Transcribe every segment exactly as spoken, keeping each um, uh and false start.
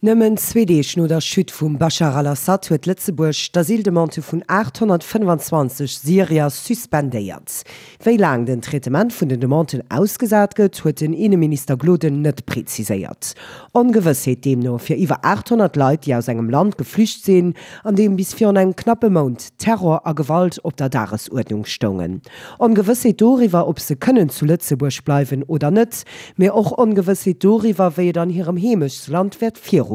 Nëmmen zwee Deeg no der Chute vum Bashar al-Assad huet Lëtzebuerg d'Asyldemande vun aathonnertfënnfanzwanzeg Syrier suspendéiert. Wéi laang den Traitement vun den Demanden ausgesat gëtt, huet den Inneminister Gloden net preziséiert. Ongewëssheet deemno fir iwwer aathonnert Leit, déi aus engem Land geflücht sinn, an deem bis virun engem knappe Mount Terror a Gewalt op der Dagesuerdnung stoungen. Ongewëssheet doriwwer, ob se kënnen zu Lëtzebuerg bleiwen oder net, mee och Ongewëssheet doriwwer, wéi et an hirem Heemechtsland wäert virugoen.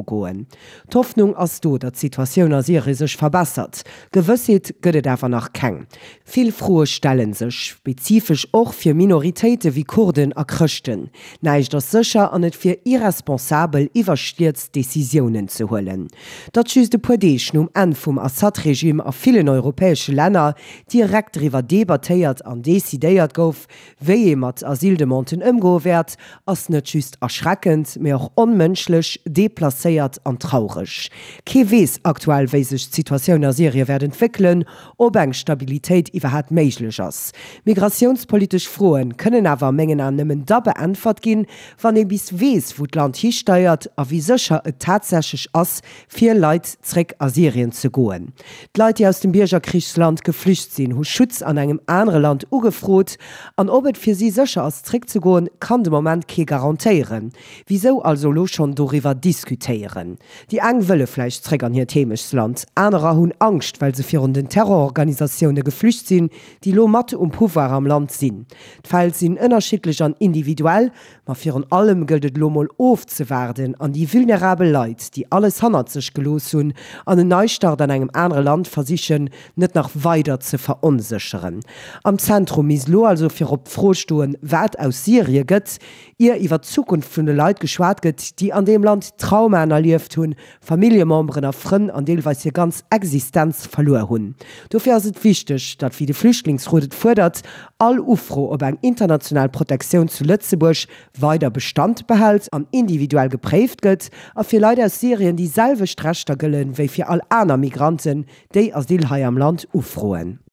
D'Hoffnung ass do, datt d'Situatioun a Syrie sech verbessert. Gewëssheet gëtt et awer nach keng. Vill Froe stelle sech, spezifesch och fir Minoritéite wéi Kurden a Chrëschten. Näischt ass sécher an et wier irresponsabel, iwwerstierzt Decisiounen ze huelen. Datt just e puer Deeg nom Enn vum Assad-Regime a villen europäesche Länner direkt driwwer debattéiert an decidéiert gouf, wéi ee mat Asyldemanden ëmgoe wäert, ass net just erschreckend, mee och onmënschlech, deplacéiert an traureg. Kee weess aktuell, wéi sech d'Situatioun a Syrie wäert entwéckelen, ob eng Stabilitéit iwwerhaapt méiglech ass. Migratiounspolitesch Froen kënnen awer a mengen Aen nëmmen da beäntwert ginn, wann ee bis weess, wou d'Land histeiert a wéi sécher et tatsächlech ass, fir Leit zréck a Syrien ze goen. D'Leit, déi aus dem Biergerkrichsland geflücht sinn, hu Schutz an engem anere Land ugefrot. An ob et fir si sécher ass, zréckzegoen, kann de Moment kee garantéieren. Wisou also elo schonn doriwwer diskutéieren? Déi eng wëlle vläicht zréck an hiert Heemechtsland, anerer hunn Angscht, well se virun den Terrororganisatioune geflücht sinn, déi elo mat um Pouvoir am Land sinn. D'Fäll sinn ënnerschiddlech an individuell, ma virun allem gëllt et elo mol ofzewaarden an déi vulnerabel Leit, déi alles hannert sech gelooss hunn an en Neistart an engem anere Land versichen, net nach weider ze veronsécheren. Am Zentrum misst elo also virop d'Fro stoen, wat aus Syrie gëtt, ier iwwer d'Zukunft vun de Leit geschwat gëtt, déi an deem Land Traumaen erlieft hunn, Familljememberen a Frënn an deelweis hir ganz Existenz verluer hunn. Dofir ass et wichteg, datt, wéi de Flüchtlingsrot et fuerdert, all Ufro op eng international Protektioun zu Lëtzebuerg weider Bestand behält an individuell gepréift gëtt a fir Leit aus Syrien déi selwecht Rechter gëllen, wéi fir all aner Migranten, déi Asyl hei am Land ufroen.